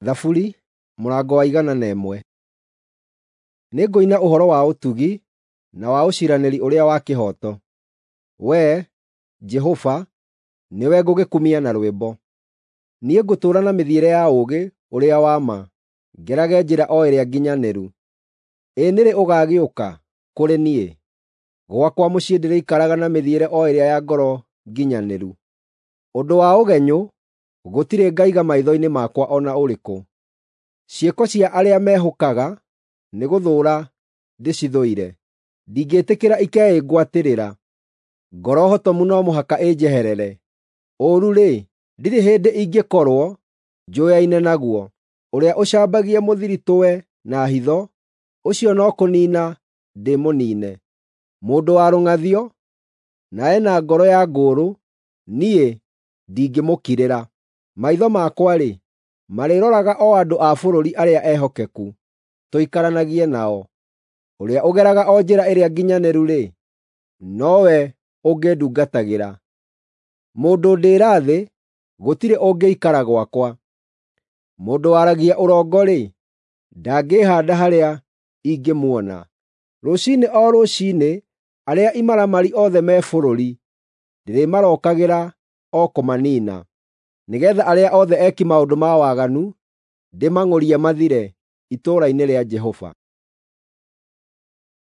Thaburi mũrango wa 101. Nĩngũina ũhoro wa ũtugi na wa ũciiranĩri ũrĩa wa kĩhooto. Wee, Jehova, nĩwe ngũgĩkumia na rwĩmbo. Niĩ ngũtũũra na mĩthiĩre ya ũũgĩ ũrĩa wa ma, ngerage njĩra o ĩrĩa nginyanĩru. Ĩ nĩ rĩ ũgaagĩũka kũrĩ niĩ? Gwakwa mũciĩ ndĩrĩikaraga na mĩthiĩre o ĩrĩa ya ngoro nginyanĩru. Ũndũ wa ũgenyũ gũtirĩ ngaiga maitho-inĩ makwa o na ũrĩkũ. Ciĩko cia arĩa mehũkaga nĩgũthũũra ndĩcithũire; ndingĩĩtĩkĩra ikeĩngwatĩrĩra. Ngoro hotomu no mũhaka ĩnjeherere; ũũru-rĩ, ndirĩ hĩndĩ ingĩkorwo njũyaine naguo. Ũrĩa ũcambagia mũthiritũwe na hitho, ũcio no kũniina ndĩmũniine. Mũndũ wa rũng'athio, na e na ngoro ya ngũũrũ, niĩ ndingĩmũkirĩra. Maitho makwa-rĩ, marĩroraga o andũ a bũrũri arĩa ehokeku, tũikaranagie nao. Ũrĩa ũgeraga o njĩra ĩrĩa nginyanĩru-rĩ, nowe ũngĩndungatagĩra. Mũndũ ndĩĩra-thĩ gũtirĩ ũngĩikara gwakwa. Mũndũ waragia ũrongo-rĩ, ndangĩĩhaanda harĩa ingĩmuona. Rũciinĩ o rũciinĩ arĩa imaramari othe me bũrũri ndĩrĩmarokagĩra o kũmaniina, nĩgeetha arĩa othe eki maũndũ ma waganu ndĩmang'ũrie mathire itũũra-inĩ rĩa Jehova.